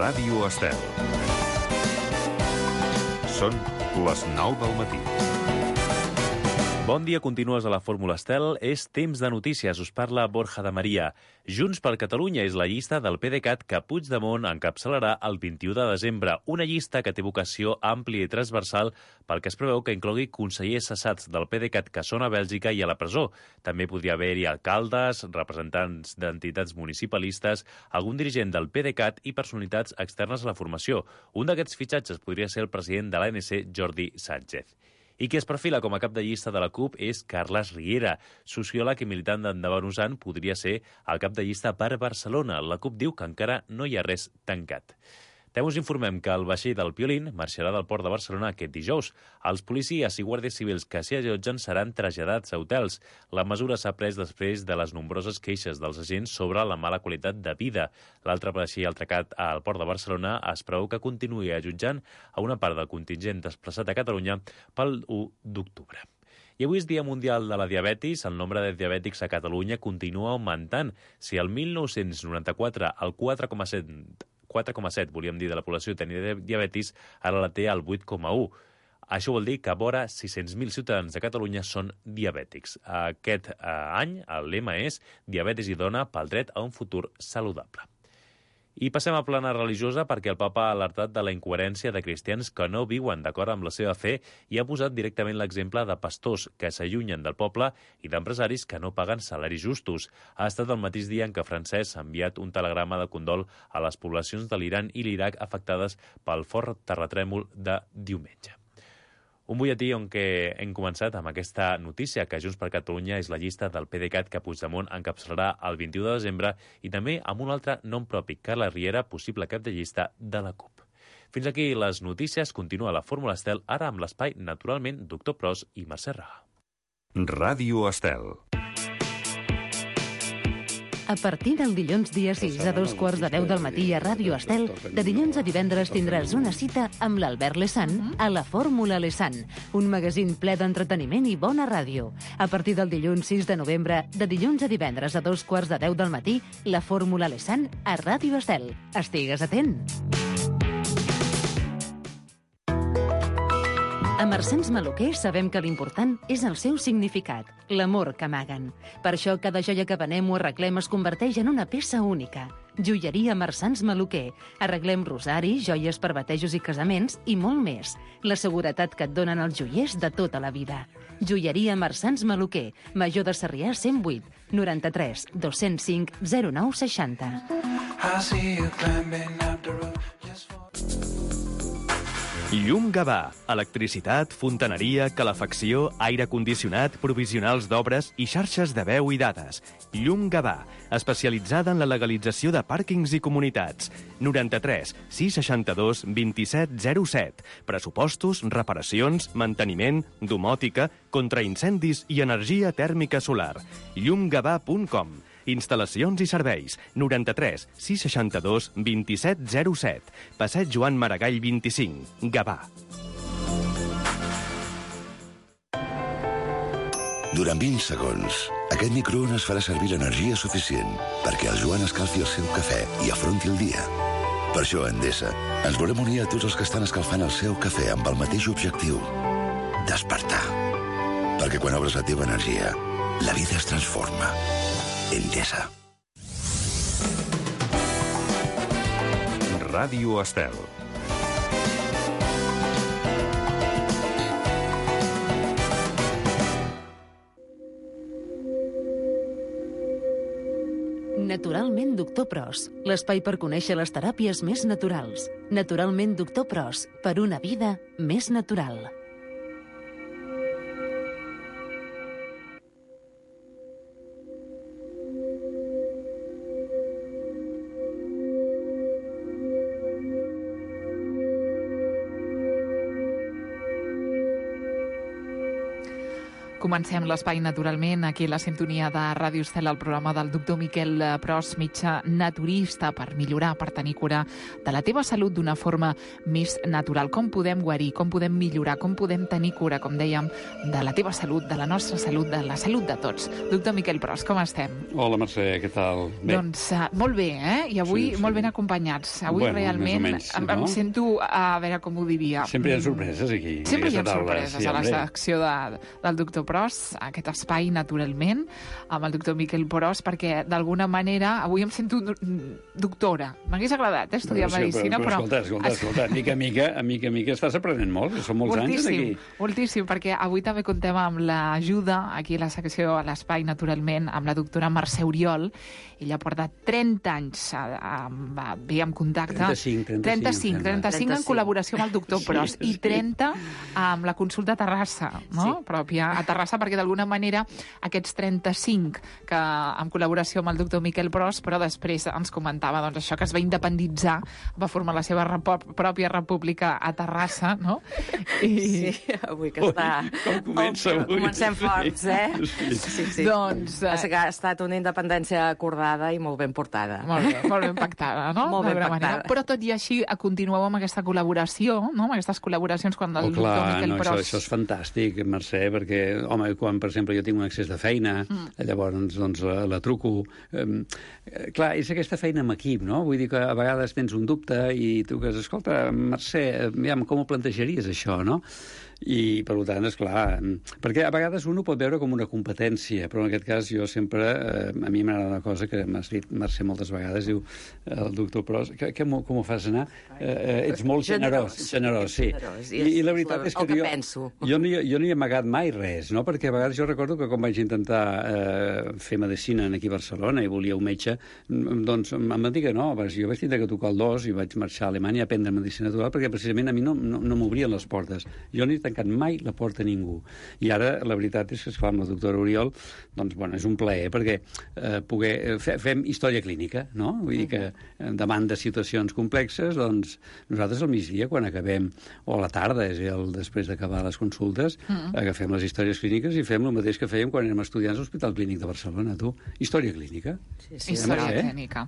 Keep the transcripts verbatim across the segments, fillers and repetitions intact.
Ràdio Estel. Són les nou del matí. Bon dia, continues a la Fórmula Estel. És temps de notícies. Us parla Borja de Maria. Junts per Catalunya és la llista del PDeCAT que Puigdemont encapçalarà el vint-i-u de desembre. Una llista que té vocació àmplia i transversal pel que es preveu que inclogui consellers cessats del PDeCAT que són a Bèlgica i a la presó. També podria haver-hi alcaldes, representants d'entitats municipalistes, algun dirigent del PDeCAT i personalitats externes a la formació. Un d'aquests fitxatges podria ser el president de l'A N C, Jordi Sánchez. I qui es perfila com a cap de llista de la CUP és Carles Riera, sociòleg i militant d'Endavant Usant, podria ser el cap de llista per Barcelona. La CUP diu que encara no hi ha res tancat. També us informem que el vaixell del Piolín marxarà del port de Barcelona aquest dijous. Els policies i guàrdies civils que s'hi allotgen seran traslladats a hotels. La mesura s'ha pres després de les nombroses queixes dels agents sobre la mala qualitat de vida. L'altre vaixell atracat al port de Barcelona es preveu que continuï allotjant a una part del contingent desplaçat a Catalunya pel u d'octubre. I avui és Dia Mundial de la Diabetis. El nombre de diabètics a Catalunya continua augmentant. Si el mil nou-cents noranta-quatre el quatre coma set quatre coma set, volíem dir, de la població tenia diabetis, ara la té al vuit coma u. Això vol dir que vora sis-cents mil ciutadans de Catalunya són diabètics. Aquest eh, any el lema és Diabetis i dona pel dret a un futur saludable. I passem a plana religiosa perquè el papa ha alertat de la incoherència de cristians que no viuen d'acord amb la seva fe i ha posat directament l'exemple de pastors que s'allunyen del poble i d'empresaris que no paguen salaris justos. Ha estat el mateix dia en què Francesc ha enviat un telegrama de condol a les poblacions de l'Iran i l'Iraq afectades pel fort terratrèmol de diumenge. Un butlletí on què hem començat amb aquesta notícia que Junts per Catalunya és la llista del PDeCAT que Puigdemont encapçalarà el vint-i-u de desembre i també amb un altre nom propi, Carles Riera, possible cap de llista de la CUP. Fins aquí les notícies. Continua la Fórmula Estel, ara amb l'espai, naturalment, Doctor Pros i Mercè Raga. Ràdio Estel. A partir del dilluns dia sis a dos quarts de deu del matí a Ràdio Estel, de dilluns a divendres tindràs una cita amb l'Albert Lesan a la Fórmula Lesan, un magazín ple d'entreteniment i bona ràdio. A partir del dilluns sis de novembre, de dilluns a divendres a dos quarts de deu del matí, la Fórmula Lesan a Ràdio Estel. Estigues atent! A Marsans Maluquer sabem que l'important és el seu significat, l'amor que amaguen. Per això cada joia que venem o arreglem es converteix en una peça única. Joieria Marsans Maluquer. Arreglem rosaris, joies per batejos i casaments i molt més. La seguretat que et donen els joiers de tota la vida. Joieria Marsans Maluquer. Major de Sarrià cent vuit, noranta-tres, dos-cents cinc, zero nou seixanta. Llum Gavà. Electricitat, fontaneria, calefacció, aire condicionat, provisionals d'obres i xarxes de veu i dades. Llum Gavà, especialitzada en la legalització de pàrquings i comunitats. noranta-tres, sis seixanta-dos, vint-i-set, zero set. Pressupostos, reparacions, manteniment, domòtica, contraincendis i energia tèrmica solar. llum gavà punt com. Instal·lacions i serveis. noranta-tres, sis seixanta-dos, vint-i-set, zero set. Passeig Joan Maragall vint-i-cinc. Gavà. Durant vint segons, aquest microones farà servir l'energia suficient perquè el Joan escalfi el seu cafè i afronti el dia. Per això, a Endesa, ens volem unir a tots els que estan escalfant el seu cafè amb el mateix objectiu: despertar. Perquè quan obres la teva energia, la vida es transforma. Endesa. Ràdio Estel. Naturalment Doctor Pros, l'espai per conèixer les teràpies més naturals. Naturalment Doctor Pros, per una vida més natural. Comencem l'espai naturalment aquí a la sintonia de Ràdio Estel, el programa del doctor Miquel Pros, metge naturista, per millorar, per tenir cura de la teva salut d'una forma més natural. Com podem guarir, com podem millorar, com podem tenir cura, com dèiem, de la teva salut, de la nostra salut, de la salut de tots. Doctor Miquel Pros, com estem? Hola, Mercè, què tal? Bé. Doncs uh, molt bé, eh? I avui sí, sí. molt ben acompanyats. Avui bueno, realment menys, em, no? em sento, a veure com ho diria... Sempre hi ha sorpreses aquí. Sempre hi ha taula. sorpreses sí, a la hombre. secció de, del doctor Pros, aquest espai, naturalment, amb el doctor Miquel Pros, perquè d'alguna manera avui em sento doctora. M'hagués agradat eh, estudiar Però sí, medicina, però, però... però... Escolta, escolta, escolta, mica a mica, a mica a mica estàs aprenent molt, que són molts moltíssim, anys aquí. moltíssim, perquè avui també contem amb l'ajuda, aquí a la secció, a l'espai, naturalment, amb la doctora Mercè Oriol. Ella porta trenta anys a, a, a, bé en contacte. trenta-cinc, trenta-cinc, trenta-cinc, trenta-cinc en col·laboració amb el doctor Pros sí, i trenta amb la consulta a Terrassa, no? Sí. Pròpia a Terrassa, perquè d'alguna manera aquests trenta-cinc que en col·laboració amb el doctor Miquel Pros, però després ens comentava doncs, això que es va independitzar, va formar la seva repo pròpia república a Terrassa, no? I... Sí, avui que està... Ui, com comença avui. Comencem forts, eh? Sí, sí. sí. Doncs... Eh... Ha estat una independència acordada i molt ben portada. Molt bé, molt ben pactada, no? Molt ben pactada. Manera. Però tot i així continueu amb aquesta col·laboració, no? Amb aquestes col·laboracions quan el oh, clar, doctor Miquel no, Pros... Això, això és fantàstic, Mercè, perquè, home, quan, per exemple, jo tinc un excés de feina, mm. llavors, doncs, la, la truco. Um, clar, és aquesta feina amb equip, no? Vull dir que a vegades tens un dubte i tu que, escolta, Mercè, aviam, com ho plantejaries, això, no? I, per tant, esclar, perquè a vegades un ho pot veure com una competència, però en aquest cas jo sempre, eh, a mi m'agrada una cosa que m'has dit, Mercè, moltes vegades, diu el doctor Pros, que, que com ho fas anar? Eh, eh, ets molt generós, generós, sí. Generós, I, I la veritat és que, que jo, penso. jo, no, jo no hi he amagat mai res, no? Perquè a vegades jo recordo que quan vaig intentar eh, fer medicina aquí a Barcelona i volia un metge, doncs em van dir que no, jo vaig tindre que tocar el dos i vaig marxar a Alemanya a aprendre medicina natural perquè precisament a mi no, no, no m'obrien les portes. Jo no he tancat mai la porta a ningú. I ara la veritat és que, esclar, amb la doctora Oriol, doncs, bueno, és un plaer perquè eh, poder, fe, fem història clínica, no? Vull dir que eh, davant de situacions complexes, doncs nosaltres al migdia, quan acabem, o a la tarda, és el després d'acabar les consultes, mm. agafem les històries clíniques i fem el mateix que fèiem quan érem estudiants a l'Hospital Clínic de Barcelona, tu. Història clínica. Sí, sí, història eh? clínica.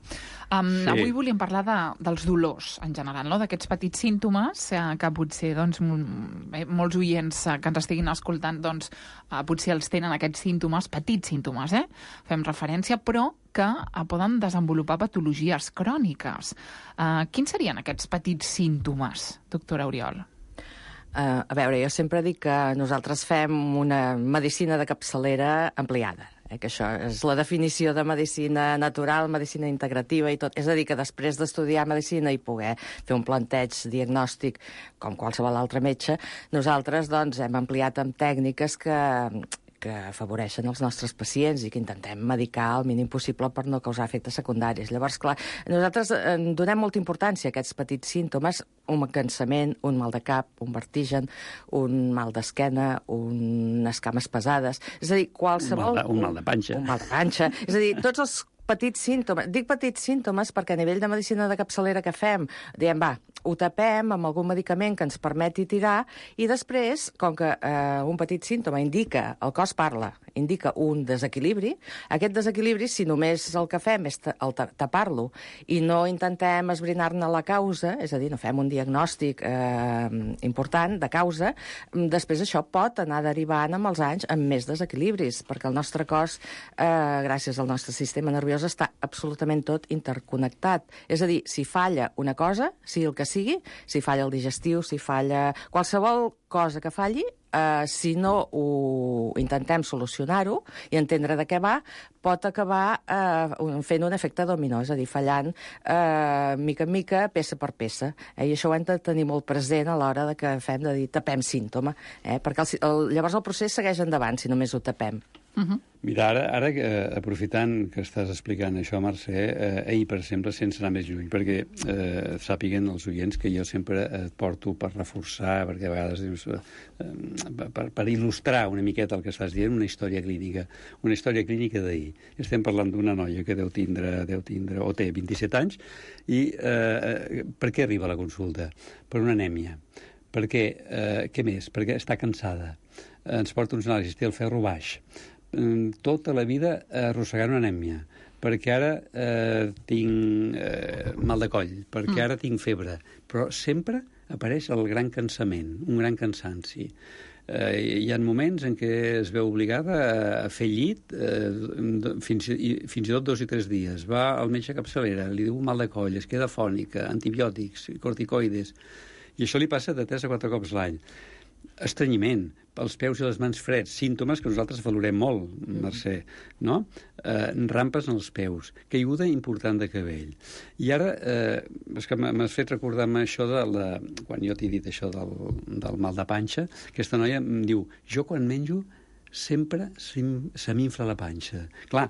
Um, sí. Avui volíem parlar de, dels dolors, en general, no? D'aquests petits símptomes eh, que potser doncs, molts oients que ens estiguin escoltant, doncs, eh, potser els tenen aquests símptomes, petits símptomes, eh? Fem referència, però que eh, poden desenvolupar patologies cròniques. Eh, quins serien aquests petits símptomes, doctora Oriol? Uh, a veure, jo sempre dic que nosaltres fem una medicina de capçalera ampliada, eh, que això és la definició de medicina natural, medicina integrativa i tot. És a dir, que després d'estudiar medicina i poder fer un planteig diagnòstic com qualsevol altre metge, nosaltres doncs, hem ampliat amb tècniques que que afavoreixen els nostres pacients i que intentem medicar el mínim possible per no causar efectes secundaris. Llavors, clar, nosaltres eh, donem molta importància a aquests petits símptomes, un cansament, un mal de cap, un vertigen, un mal d'esquena, unes cames pesades, és a dir, qualsevol... Un mal de, un mal de panxa. Un mal de panxa. És a dir, tots els petits símptomes. Dic petits símptomes perquè a nivell de medicina de capçalera que fem, diem, va, ho tapem amb algun medicament que ens permeti tirar i després, com que eh, un petit símptoma indica, el cos parla, indica un desequilibri, aquest desequilibri, si només el que fem és el tapar-lo i no intentem esbrinar-ne la causa, és a dir, no fem un diagnòstic eh, important de causa, després això pot anar derivant amb els anys amb més desequilibris, perquè el nostre cos, eh, gràcies al nostre sistema nerviós, està absolutament tot interconnectat. És a dir, si falla una cosa, sigui el que sigui, si falla el digestiu, si falla qualsevol cosa que falli, eh, si no ho intentem solucionar-ho i entendre de què va, pot acabar eh, fent un efecte dominó, és a dir, fallant eh, mica en mica, peça per peça. Eh? I això ho hem de tenir molt present a l'hora de que fem de dir tapem símptoma, eh? perquè el, el, llavors el procés segueix endavant si només ho tapem. Uh-huh. Mira, ara, ara eh, aprofitant que estàs explicant això, Mercè, eh, ahir, per exemple, sense anar més lluny, perquè eh, sàpiguen els oients que jo sempre et porto per reforçar, perquè a vegades dius, eh, per, per il·lustrar una miqueta el que estàs dient, una història clínica, una història clínica d'ahir. Estem parlant d'una noia que deu tindre, deu tindre o té vint-i-set anys, i eh, per què arriba a la consulta? Per una anèmia. Perquè, eh, què més? Perquè està cansada. ens porta uns anàlisis, té el ferro baix, tota la vida arrossegant una anèmia, perquè ara eh, tinc eh, mal de coll, perquè mm. ara tinc febre, però sempre apareix el gran cansament, un gran cansanci. Eh, hi ha moments en què es veu obligada a fer llit eh, fins, i, fins i tot dos i tres dies. Va al metge capçalera, li diu mal de coll, es queda fònica, antibiòtics, corticoides, i això li passa de tres a quatre cops l'any. Estrenyiment, pels peus i les mans freds, símptomes que nosaltres valorem molt, Mercè, no? Eh, rampes en els peus, caiguda important de cabell. I ara, eh, és que m'has fet recordar-me això de la... Quan jo t'he dit això del, del mal de panxa, aquesta noia em diu, jo quan menjo sempre se m'infla la panxa. Clar,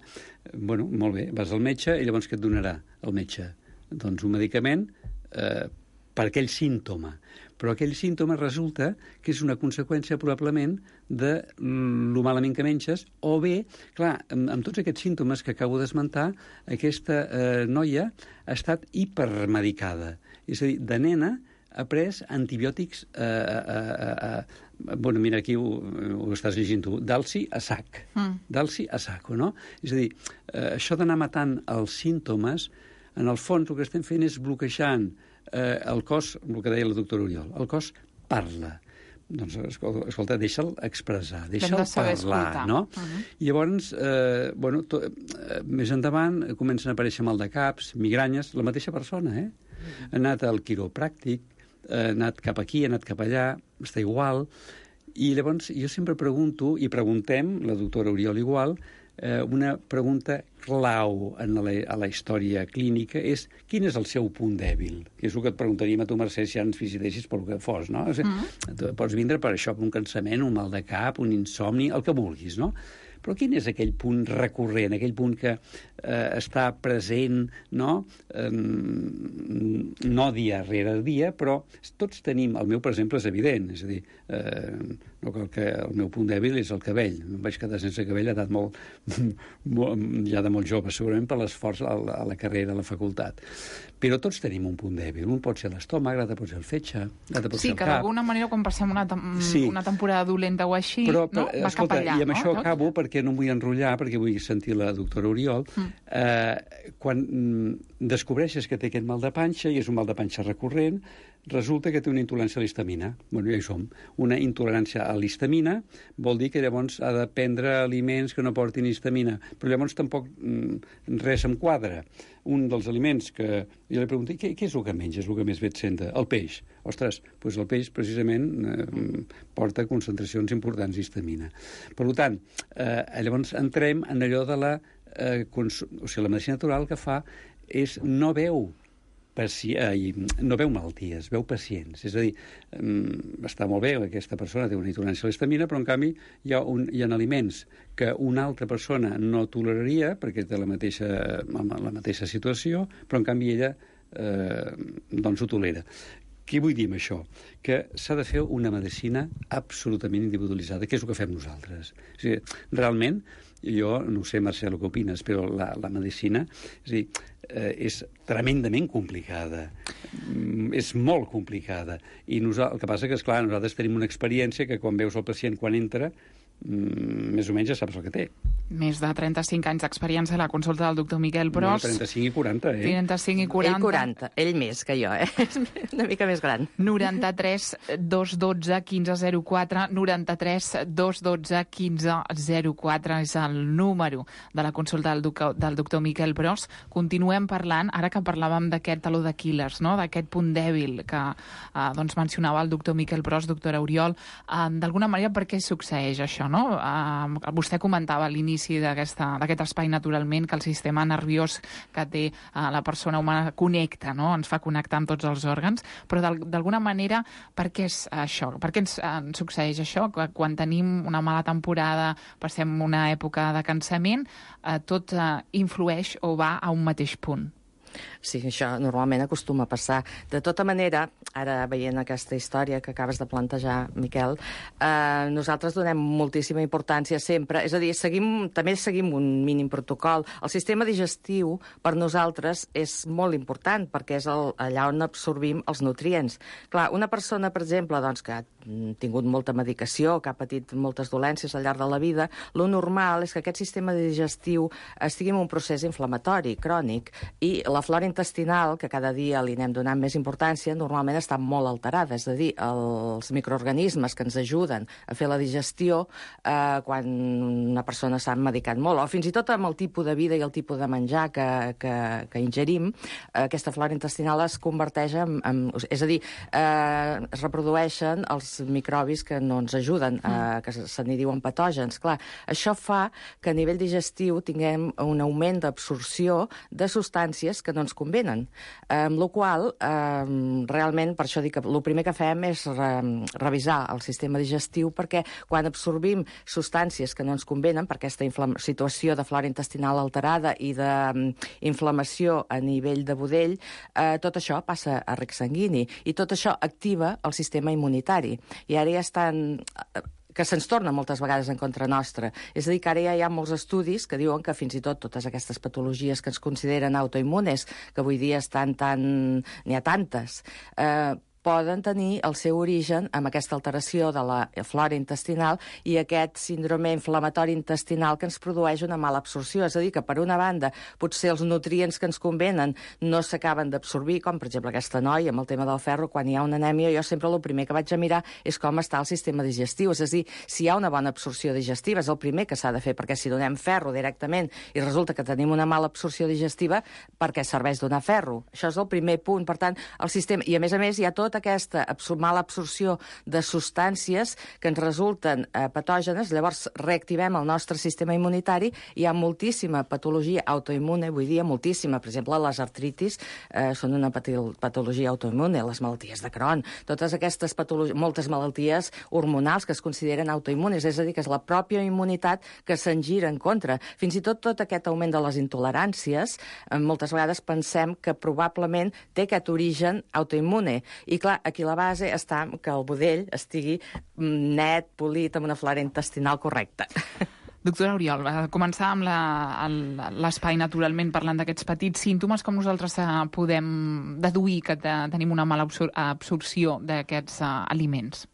bueno, molt bé, vas al metge i llavors què et donarà el metge? Doncs un medicament eh, per aquell símptoma. Però aquell símptoma resulta que és una conseqüència probablement de lo malament que menges, o bé, clar, amb, amb tots aquests símptomes que acabo d'esmentar, aquesta eh, noia ha estat hipermedicada. És a dir, de nena ha pres antibiòtics, eh, eh, eh, bueno, mira, aquí ho, ho estàs llegint tu, d'alci a sac, mm. d'alci a saco, no? És a dir, eh, això d'anar matant els símptomes, en el fons el que estem fent és bloquejant eh, el cos, el que deia la doctora Oriol, el cos parla. Doncs, escolta, deixa'l expressar, deixa'l parlar, escoltar. No? Uh-huh. I llavors, eh, bueno, to, eh, més endavant comencen a aparèixer mal de caps, migranyes, la mateixa persona, eh? Uh-huh. Ha anat al quiropràctic, ha anat cap aquí, ha anat cap allà, està igual, i llavors jo sempre pregunto, i preguntem, la doctora Oriol igual, eh, una pregunta clau en la, a la història clínica és quin és el seu punt dèbil? Que és el que et preguntaríem a tu, Mercè, si ens visitessis pel que fos, no? O sigui, mm. tu pots vindre per això, per un cansament, un mal de cap, un insomni, el que vulguis, no? Però quin és aquell punt recurrent, aquell punt que eh, està present, no? Eh, no dia rere dia, però tots tenim... El meu, per exemple, és evident, és a dir, eh, no cal que el meu punt dèbil és el cabell. Em vaig quedar sense cabell a edat molt, molt, ja de molt jove, segurament per l'esforç a, la, a la carrera, a la facultat. Però tots tenim un punt dèbil. Un pot ser l'estómac, l'altre pot ser el fetge, l'altre pot sí, ser el cap. Sí, que d'alguna manera, quan passem una, tem sí. una temporada dolenta o així, però, no? va escolta, cap allà. I amb no? això Tot? acabo, perquè no em vull enrotllar, perquè vull sentir la doctora Oriol. Mm. Eh, quan mm, descobreixes que té aquest mal de panxa, i és un mal de panxa recurrent, resulta que té una intolerància a l'histamina. Bueno, ja hi som. Una intolerància a l'histamina vol dir que llavors ha de prendre aliments que no portin histamina. Però llavors tampoc mm, res em quadra. Un dels aliments que... Jo li pregunto, què, què és el que menges, el que més bé et senta? El peix. Ostres, doncs el peix precisament eh, porta concentracions importants d'histamina. Per tant, eh, llavors entrem en allò de la... Eh, o sigui, la medicina natural que fa és no veu Paci... Eh, no veu malalties, veu pacients. És a dir, um, està molt bé, aquesta persona té una intolerància a l'histamina, però en canvi hi ha, un, hi ha aliments que una altra persona no toleraria, perquè té la mateixa, la mateixa situació, però en canvi ella eh, doncs ho tolera. Què vull dir amb això? Que s'ha de fer una medicina absolutament individualitzada, que és el que fem nosaltres. O sigui, realment, jo no sé, Marcel, el que opines, però la, la medicina és, a dir, eh, és tremendament complicada. Mm, és molt complicada. I el que passa que, esclar, nosaltres tenim una experiència que quan veus el pacient quan entra, mm, més o menys ja saps el que té. Més de trenta-cinc anys d'experiència a la consulta del doctor Miquel Pros. No, trenta-cinc i quaranta, eh? trenta-cinc i quaranta. Ell quaranta, ell més que jo, eh? És una mica més gran. noranta-tres dos dotze quinze zero quatre, noranta-tres dos dotze quinze zero quatre és el número de la consulta del, del doctor Miquel Pros. Continuem parlant, ara que parlàvem d'aquest taló d'Aquil·les, no? D'aquest punt dèbil que eh, doncs mencionava el doctor Miquel Pros, doctora Oriol. Eh, D'alguna manera, per què succeeix això, no? Eh, vostè comentava a l'inici d'aquest espai naturalment que el sistema nerviós que té uh, la persona humana connecta, no? Ens fa connectar amb tots els òrgans, però d'alguna manera per què és això? Per què ens, uh, ens succeeix això? Quan tenim una mala temporada, passem una època de cansament, uh, tot uh, influeix o va a un mateix punt? Sí, això normalment acostuma a passar. De tota manera, ara veient aquesta història que acabes de plantejar, Miquel, eh, nosaltres donem moltíssima importància sempre, és a dir, seguim, també seguim un mínim protocol. El sistema digestiu per nosaltres és molt important perquè és el, allà on absorbim els nutrients. Clar, una persona, per exemple, doncs, que ha tingut molta medicació, que ha patit moltes dolències al llarg de la vida, lo normal és que aquest sistema digestiu estigui en un procés inflamatori, crònic, i la flora intestinal, que cada dia li anem donant més importància, normalment està molt alterada, és a dir, els microorganismes que ens ajuden a fer la digestió eh, quan una persona s'ha medicat molt, o fins i tot amb el tipus de vida i el tipus de menjar que, que, que ingerim, eh, aquesta flora intestinal es converteix en... en és a dir, eh, es reprodueixen els microbis que no ens ajuden, eh, que se n'hi diuen patògens. Clar, això fa que a nivell digestiu tinguem un augment d'absorció de substàncies que no ens convenen. Eh, amb la qual eh, realment, per això dic que el primer que fem és re, revisar el sistema digestiu, perquè quan absorbim substàncies que no ens convenen, per aquesta situació de flora intestinal alterada i d'inflamació a nivell de budell, eh, tot això passa a rec sanguini, i tot això activa el sistema immunitari. I ara ja estan... que se'ns torna moltes vegades en contra nostra. És a dir, que ara ja hi ha molts estudis que diuen que fins i tot totes aquestes patologies que ens consideren autoimmunes, que avui dia estan tan... n'hi ha tantes, eh, poden tenir el seu origen amb aquesta alteració de la flora intestinal i aquest síndrome inflamatori intestinal que ens produeix una mala absorció. És a dir, que per una banda potser els nutrients que ens convenen no s'acaben d'absorbir, com per exemple aquesta noia amb el tema del ferro, quan hi ha una anèmia, jo sempre el primer que vaig a mirar és com està el sistema digestiu. És a dir, si hi ha una bona absorció digestiva, és el primer que s'ha de fer, perquè si donem ferro directament i resulta que tenim una mala absorció digestiva, per què serveix donar ferro? Això és el primer punt. Per tant, el sistema... I a més a més hi ha tot aquesta absor mala absorció de substàncies que ens resulten eh, patògenes, llavors reactivem el nostre sistema immunitari, hi ha moltíssima patologia autoimmune, avui dia moltíssima, per exemple, les artritis eh, són una patologia autoimmune, les malalties de Crohn, totes aquestes patologies, moltes malalties hormonals que es consideren autoimmunes, és a dir, que és la pròpia immunitat que se'n gira en contra. Fins i tot tot aquest augment de les intoleràncies, eh, moltes vegades pensem que probablement té aquest origen autoimmune. I clar, aquí la base està que el budell estigui net, polit, amb una flora intestinal correcta. Doctora Oriol, començar amb l'espai, naturalment, parlant d'aquests petits símptomes, com nosaltres podem deduir que tenim una mala absor absorció d'aquests uh, aliments?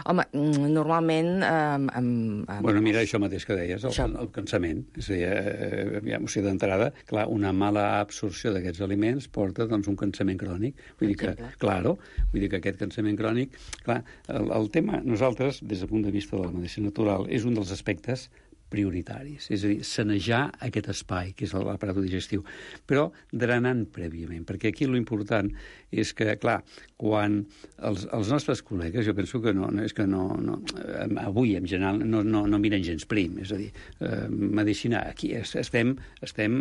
Home, normalment... Um, um, bueno, mira, això mateix que deies, el, això. el cansament. És a dir, eh, ja, o sigui, d'entrada, clar, una mala absorció d'aquests aliments porta doncs, un cansament crònic. Vull dir que, claro, vull dir que aquest cansament crònic... Clar, el, el tema, nosaltres, des del punt de vista de la medicina natural, és un dels aspectes prioritaris, és a dir, sanejar aquest espai, que és l'aparat digestiu, però drenant prèviament, perquè aquí l'important és que, clar, quan els, els nostres col·legues, jo penso que no, no és que no, no avui, en general, no, no, no miren gens prim, és a dir, eh, medicina, aquí estem, estem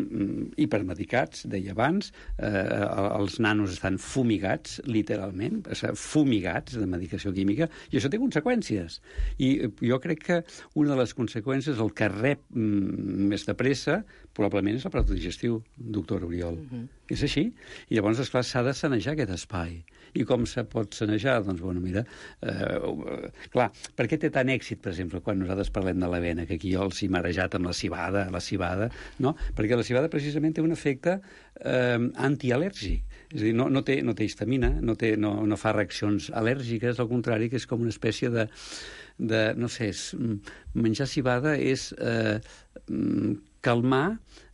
hipermedicats, deia abans, eh, els nanos estan fumigats, literalment, fumigats de medicació química, i això té conseqüències. I jo crec que una de les conseqüències, el que rep mm, més de pressa, probablement és l'aparat digestiu, doctor Oriol. Uh-huh. És així? I llavors, esclar, s'ha de sanejar aquest espai. I com se pot sanejar? Doncs, bueno, mira, eh, clar, per què té tant èxit, per exemple, quan nosaltres parlem de l'avena, que aquí jo els he marejat amb la civada, la civada, no? Perquè la civada precisament té un efecte eh, antial·lèrgic. És a dir, no, no, té, no té histamina, no, té, no, no fa reaccions al·lèrgiques, al contrari, que és com una espècie de, de no sé, és, menjar civada és eh, calmar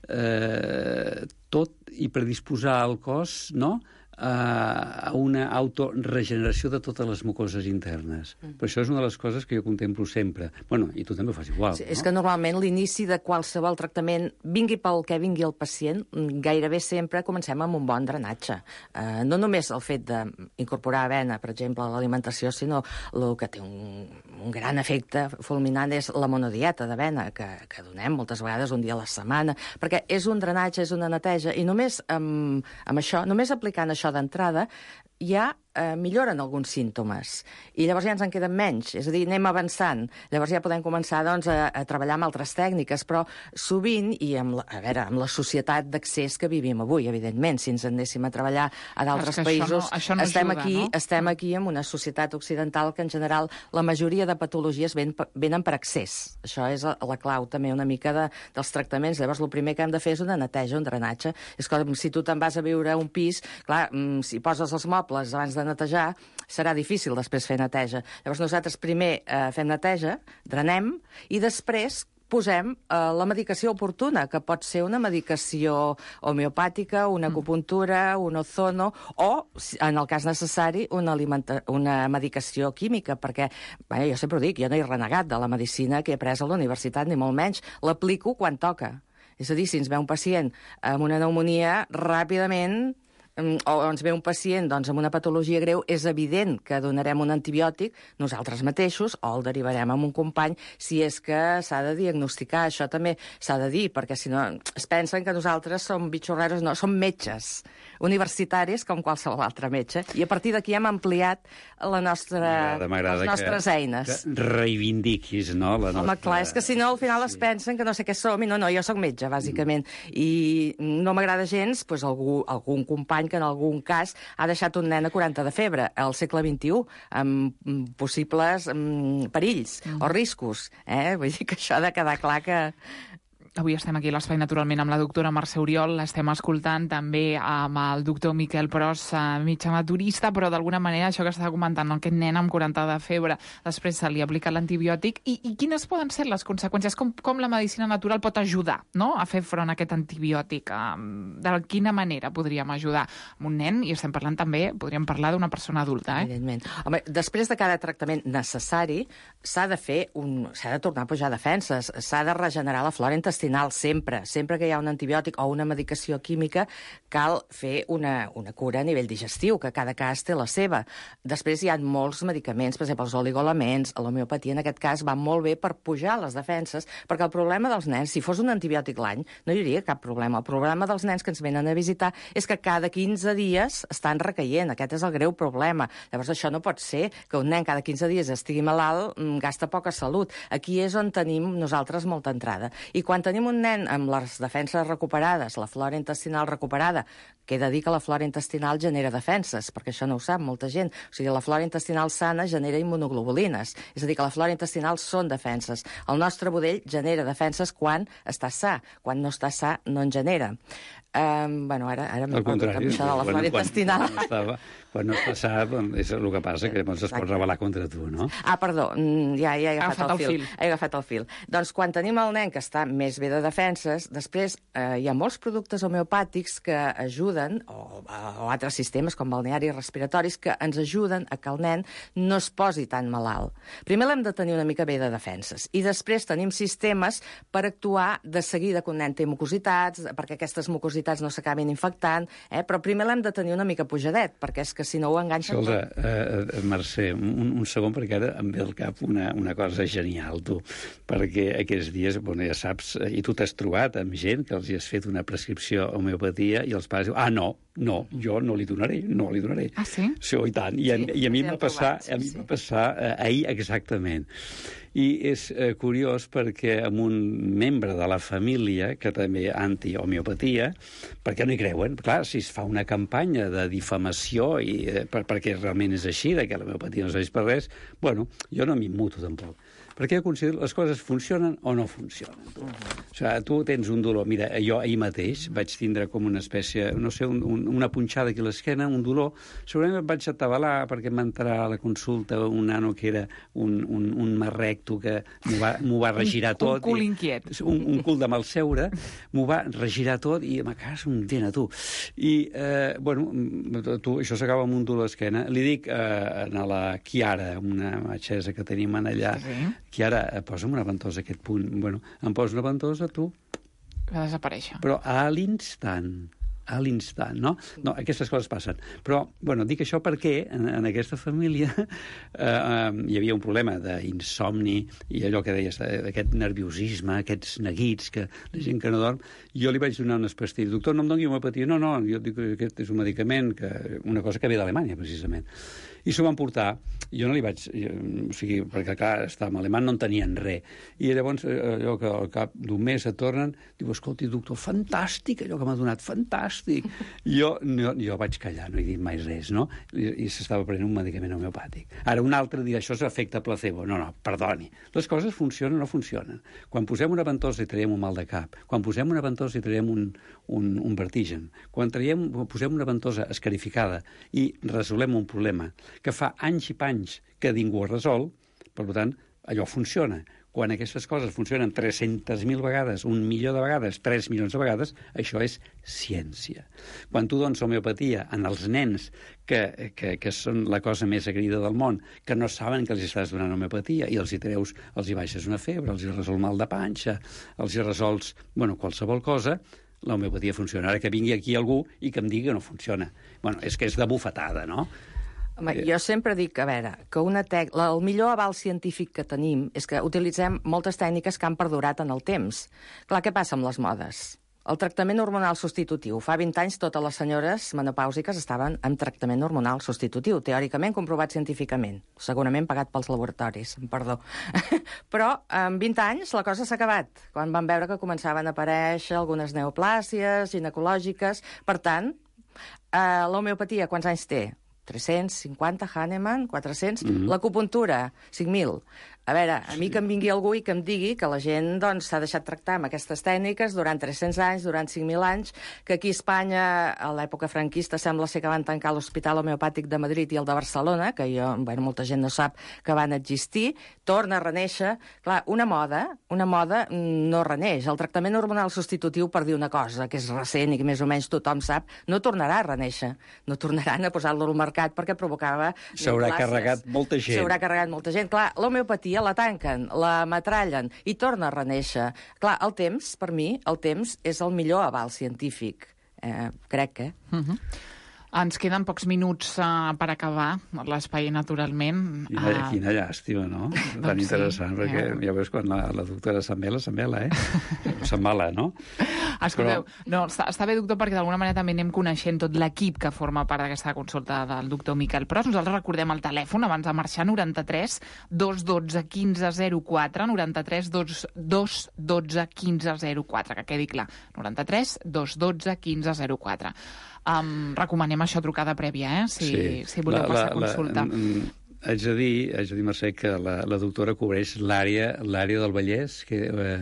eh, tot i predisposar el cos, no?, a una autoregeneració de totes les mucoses internes. Mm. Per això és una de les coses que jo contemplo sempre. Bueno, i tu també ho fas igual, sí, no? És que normalment l'inici de qualsevol tractament, vingui pel que vingui el pacient, gairebé sempre comencem amb un bon drenatge. Uh, no només el fet d'incorporar avena, per exemple, a l'alimentació, sinó el que té un, un gran efecte fulminant és la monodieta d'avena, que, que donem moltes vegades un dia a la setmana, perquè és un drenatge, és una neteja, i només amb, amb això, només aplicant això d'entrada, ja eh, milloren alguns símptomes. I llavors ja ens en queden menys. És a dir, anem avançant. Llavors ja podem començar doncs, a, a treballar amb altres tècniques, però sovint, i amb la, a veure, amb la societat d'accés que vivim avui, evidentment, si ens anéssim a treballar a d'altres països, això no, això no estem, ajuda, aquí, no? estem aquí en una societat occidental que en general la majoria de patologies ven, venen per accés. Això és la, la clau també una mica de, dels tractaments. Llavors el primer que hem de fer és una neteja, un drenatge. És com si tu te'n vas a viure a un pis, clar, si poses els mobles abans de netejar, serà difícil després fer neteja. Llavors nosaltres primer eh, fem neteja, drenem, i després posem eh, la medicació oportuna, que pot ser una medicació homeopàtica, una acupuntura, un ozono, o, en el cas necessari, una, una medicació química, perquè, bé, jo sempre ho dic, jo no he renegat de la medicina que he après a la universitat, ni molt menys. L'aplico quan toca. És a dir, si ens ve un pacient amb una pneumonia, ràpidament, o ens ve un pacient doncs, amb una patologia greu, és evident que donarem un antibiòtic nosaltres mateixos o el derivarem a un company si és que s'ha de diagnosticar. Això també s'ha de dir, perquè si no es pensen que nosaltres som bitxorreros. No, som metges universitaris com qualsevol altre metge, i a partir d'aquí hem ampliat la nostra, les nostres que, eines. Que reivindiquis, no? La nostra... Home, clar, és que si no al final es pensen que no sé què som, i no, no, jo sóc metge, bàsicament, mm. i no m'agrada gens pues, algú, algun company que en algun cas ha deixat un nen a quaranta de febre al segle vint-i-u, amb possibles um, perills mm. o riscos. Eh? Vull dir que això ha de quedar clar que... Avui estem aquí a l'Espai, naturalment, amb la doctora Mercè Oriol. L'estem escoltant també amb el doctor Miquel Pros, metge naturista, però d'alguna manera això que estava comentant, no? Aquest nen amb quaranta de febre, després se li aplica l'antibiòtic. I, I quines poden ser les conseqüències? Com, com la medicina natural pot ajudar, no?, a fer front a aquest antibiòtic? De quina manera podríem ajudar amb un nen? I estem parlant també, podríem parlar d'una persona adulta, eh? Evidentment. Home, després de cada tractament necessari, s'ha de fer un... s'ha de tornar a pujar defenses, s'ha de regenerar la flora intestinal sempre. Sempre que hi ha un antibiòtic o una medicació química, cal fer una, una cura a nivell digestiu, que cada cas té la seva. Després hi ha molts medicaments, per exemple, els oligoelements, l'homeopatia en aquest cas va molt bé per pujar les defenses, perquè el problema dels nens, si fos un antibiòtic l'any, no hi hauria cap problema. El problema dels nens que ens venen a visitar és que cada quinze dies estan recaient. Aquest és el greu problema. Llavors això no pot ser, que un nen cada quinze dies estigui malalt, gasta poca salut. Aquí és on tenim nosaltres molta entrada. I quan tenim un nen amb les defenses recuperades, la flora intestinal recuperada, que he de dir que la flora intestinal genera defenses, perquè això no ho sap molta gent. O sigui, la flora intestinal sana genera immunoglobulines. És a dir, que la flora intestinal són defenses. El nostre budell genera defenses quan està sa. Quan no està sa, no en genera. Um, bueno, ara, ara m'he perdut amb això de la flora intestinal. Quan, quan, estava, quan no està sa, és el que passa, que llavors es pot revelar contra tu, no? Ah, perdó, ja, ja he agafat, agafat el, el, fil. fil. He agafat el fil. Doncs quan tenim el nen que està més bé de defenses, després eh, hi ha molts productes homeopàtics que ajuden, o, o altres sistemes com balnearis respiratoris, que ens ajuden a que el nen no es posi tan malalt. Primer l'hem de tenir una mica bé de defenses, i després tenim sistemes per actuar de seguida que un nen té mucositats, perquè aquestes mucositats no s'acabin infectant, eh? Però primer l'hem de tenir una mica pujadet, perquè és que si no ho enganxen... Escolta, eh, Mercè, un, un segon, perquè ara em ve al cap una, una cosa genial, tu, perquè aquests dies, bueno, ja saps, i tu t'has trobat amb gent que els hi has fet una prescripció homeopatia i els pares diuen, ah, no, no, jo no li donaré, no li donaré. Ah, sí? Sí, i tant. I, sí, i a mi em va passar, trobat, sí, a mi sí. va passar eh, ahir exactament. I és eh, curiós perquè amb un membre de la família, que també anti-homeopatia, perquè no hi creuen. Clar, si es fa una campanya de difamació i, eh, per, perquè realment és així, que l'homeopatia no serveix per res, bueno, jo no m'immuto tampoc. Perquè jo considero les coses funcionen o no funcionen. Tu. Uh-huh. O sigui, tu tens un dolor. Mira, jo ahir mateix vaig tindre com una espècie, no sé, un, un, una punxada aquí a l'esquena, un dolor. Segurament em vaig atabalar perquè em va entrar a la consulta un nano que era un, un, un marrecto que m'ho va, va regirar tot. Un cul inquiet. Un, un cul de malseure. M'ho va regirar tot i me cagas un dent a tu. I, eh, bueno, tu, això s'acaba amb un dolor a l'esquena. Li dic eh, a la Chiara, una metgessa que tenim allà, sí. Chiara, posa'm una ventosa a aquest punt. Bueno, em posa una ventosa, tu... Va desaparèixer. Però a l'instant, a l'instant, no? No, aquestes coses passen. Però, bueno, dic això perquè en, en aquesta família eh, eh, hi havia un problema d'insomni i allò que deies, d'aquest nerviosisme, aquests neguits, que la gent que no dorm. Jo li vaig donar unes pastilles. Doctor, no em doni homeopatia. No, no, jo dic que aquest és un medicament, que, una cosa que ve d'Alemanya, precisament. I s'ho van portar. Jo no li vaig... Jo, o sigui, perquè, clar, estava alemany, no en tenien res. I llavors, allò que al cap d'un mes et tornen, diu, escolti, doctor, fantàstic, allò que m'ha donat, fantàstic. Jo, no, jo vaig callar, no he dit mai res, no? I, i s'estava prenent un medicament homeopàtic. Ara un altre dirà, això és efecte placebo. No, no, perdoni. Les coses funcionen o no funcionen. Quan posem una ventosa i traiem un mal de cap, quan posem una ventosa i traiem un, un, un vertigen, quan traiem, posem una ventosa escarificada i resolem un problema que fa anys i panys que ningú ha resolt, per tant, allò funciona. Quan aquestes coses funcionen tres-centes mil vegades, un milió de vegades, tres milions de vegades, això és ciència. Quan tu dones homeopatia en els nens, que, que, que són la cosa més agraïda del món, que no saben que els estàs donant homeopatia, i els hi treus, els hi baixes una febre, els hi resol mal de panxa, els hi resols, bueno, qualsevol cosa, l'homeopatia funciona. Ara que vingui aquí algú i que em digui que no funciona. Bueno, és que és de bufetada, no? Home, jo sempre dic, a veure, que una tec... el millor aval científic que tenim és que utilitzem moltes tècniques que han perdurat en el temps. Clar, què passa amb les modes? El tractament hormonal substitutiu. Fa vint anys totes les senyores menopàusiques estaven en tractament hormonal substitutiu, teòricament comprovat científicament, segurament pagat pels laboratoris, perdó. Però en vint anys la cosa s'ha acabat, quan van veure que començaven a aparèixer algunes neoplàsies ginecològiques. Per tant, eh, l'homeopatia quants anys té? tres-cents cinquanta, Hahnemann, quatre-cents, mm-hmm. L'acupuntura, cinc mil. A veure, a mi que em vingui algú i que em digui que la gent doncs, s'ha deixat tractar amb aquestes tècniques durant tres-cents anys, durant cinc mil anys, que aquí a Espanya, a l'època franquista, sembla ser que van tancar l'Hospital Homeopàtic de Madrid i el de Barcelona, que jo, bueno, molta gent no sap que van existir, torna a reneixer. Clar, una moda, una moda no reneix. El tractament hormonal substitutiu, per dir una cosa que és recent i que més o menys tothom sap, no tornarà a reneixer. No tornaran a posar-lo al mercat perquè provocava... S'haurà carregat molta gent. S'haurà carregat molta gent. Clar, l'homeopatia la tanquen, la metrallen i torna a reneixer. Clar, el temps, per mi, el temps és el millor aval científic. Eh, crec que... Uh-huh. Ens queden pocs minuts uh, per acabar l'espai, naturalment. Quina, uh... quina llàstima, no? Tan doncs interessant, sí, perquè ja, ja veus quan la, la doctora s'embela, s'embela, eh? S'embala, no? Escolteu, Però... no, està, està bé, doctor, perquè d'alguna manera també anem coneixent tot l'equip que forma part d'aquesta consulta del doctor Miquel Pros. Nosaltres recordem el telèfon abans de marxar, noranta-tres dos dotze quinze zero quatre, noranta-tres dos dotze quinze zero quatre, que quedi clar, noranta-tres dos dotze quinze zero quatre. Um, recomanem això, trucada prèvia, eh? Si, sí. si voleu la, passar la, consulta. La, haig de dir, haig de dir, Mercè, que la, la doctora cobreix l'àrea l'àrea del Vallès, que... Eh,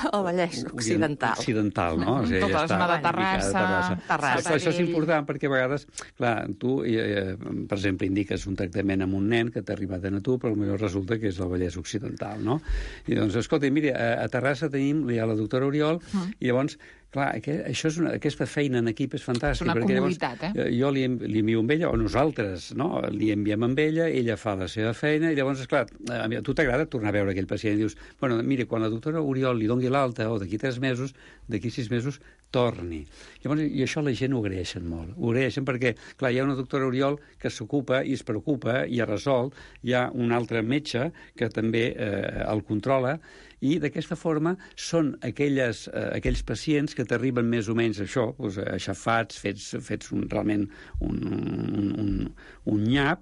el Vallès occidental. Occidental, no? O sigui, tota la zona de Terrassa. Terrassa. Això, això és important perquè a vegades, clar, tu, eh, per exemple, indiques un tractament amb un nen que t'ha arribat a tu, però potser resulta que és el Vallès occidental, no? I doncs, escolta, mira, a, a Terrassa tenim ja la doctora Oriol, mm. i llavors... Clar, això és una, aquesta feina en equip és fantàstica. És una perquè comoditat, llavors, eh? Jo li, li envio amb ella, o nosaltres, no? Li enviem amb ella, ella fa la seva feina, i llavors, esclar, a tu t'agrada tornar a veure aquell pacient i dius, bueno, mira, quan la doctora Oriol li doni l'alta, o d'aquí tres mesos, d'aquí sis mesos, torni. Llavors, i això la gent ho agraeixen molt. Ho agraeixen perquè, clar, hi ha una doctora Oriol que s'ocupa i es preocupa i ha resolt, hi ha un altre metge que també eh, el controla, i d'aquesta forma són aquelles, eh, aquells pacients que t'arriben més o menys això, doncs, aixafats, fets, fets un, realment un, un, un, un nyap,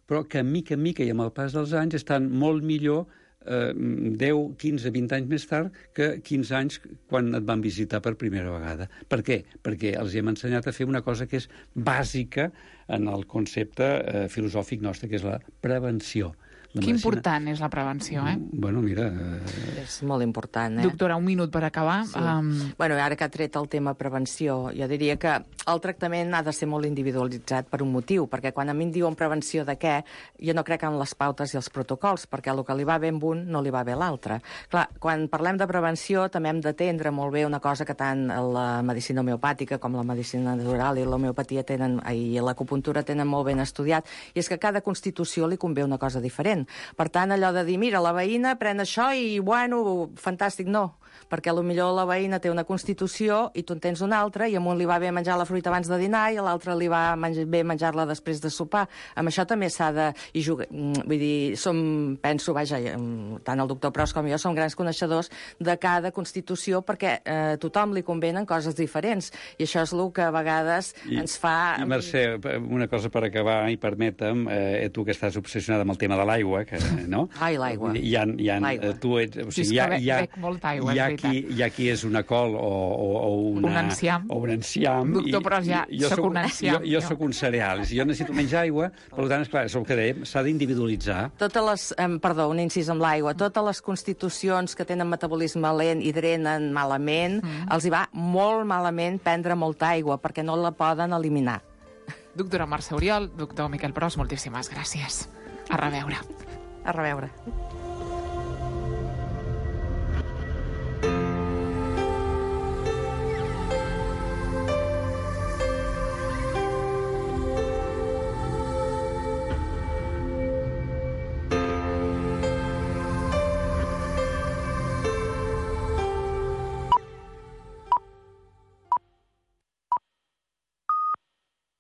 però que mica en mica i amb el pas dels anys estan molt millor eh, deu, quinze, vint anys més tard que quinze anys quan et van visitar per primera vegada. Per què? Perquè els hem ensenyat a fer una cosa que és bàsica en el concepte eh, filosòfic nostre, que és la prevenció. Que important és la prevenció, eh? Bueno, mira... Eh... És molt important, eh? Doctora, un minut per acabar. Sí. Um... Bueno, ara que ha tret el tema prevenció, jo diria que el tractament ha de ser molt individualitzat per un motiu, perquè quan a mi em diuen prevenció de què, jo no crec en les pautes i els protocols, perquè el que li va bé amb un no li va bé a l'altre. Clar, quan parlem de prevenció també hem d'atendre molt bé una cosa que tant la medicina homeopàtica com la medicina natural i l'homeopatia tenen, i l'acupuntura tenen molt ben estudiat, i és que a cada constitució li convé una cosa diferent. Per tant, allò de dir, mira, la veïna pren això i, bueno, fantàstic, no. perquè potser la veïna té una constitució i tu en tens una altra, i a un li va bé menjar la fruita abans de dinar i a l'altre li va menjar, bé menjar-la després de sopar. Amb això també s'ha de... I jugar, vull dir, som, penso, vaja, tant el doctor Pros com jo som grans coneixedors de cada constitució perquè eh, a tothom li convenen coses diferents, i això és el que a vegades I, ens fa... I, Mercè, una cosa per acabar, i permetem, eh, tu que estàs obsessionada amb el tema de l'aigua, que, no? Ai, l'aigua. Hi ha, hi ha, L'aigua. tu ets, o Sí, és sigui, hi ha, que hi ha, bec molta aigua, hi ha, és qui, hi ha qui és una col o, o, o una... Un enciam. O un enciam. Doctor, però ja jo sóc un enciam, Jo, jo jo. sóc un cereal. Si jo necessito menys aigua, per tant, esclar, és el que dèiem, s'ha d'individualitzar. Totes les, eh, perdó, un incís amb l'aigua, totes les constitucions que tenen metabolisme lent i drenen malament, mm. els hi va molt malament prendre molta aigua, perquè no la poden eliminar. Doctora Mercè Oriol, doctor Miquel Pros, moltíssimes gràcies. A reveure. A reveure.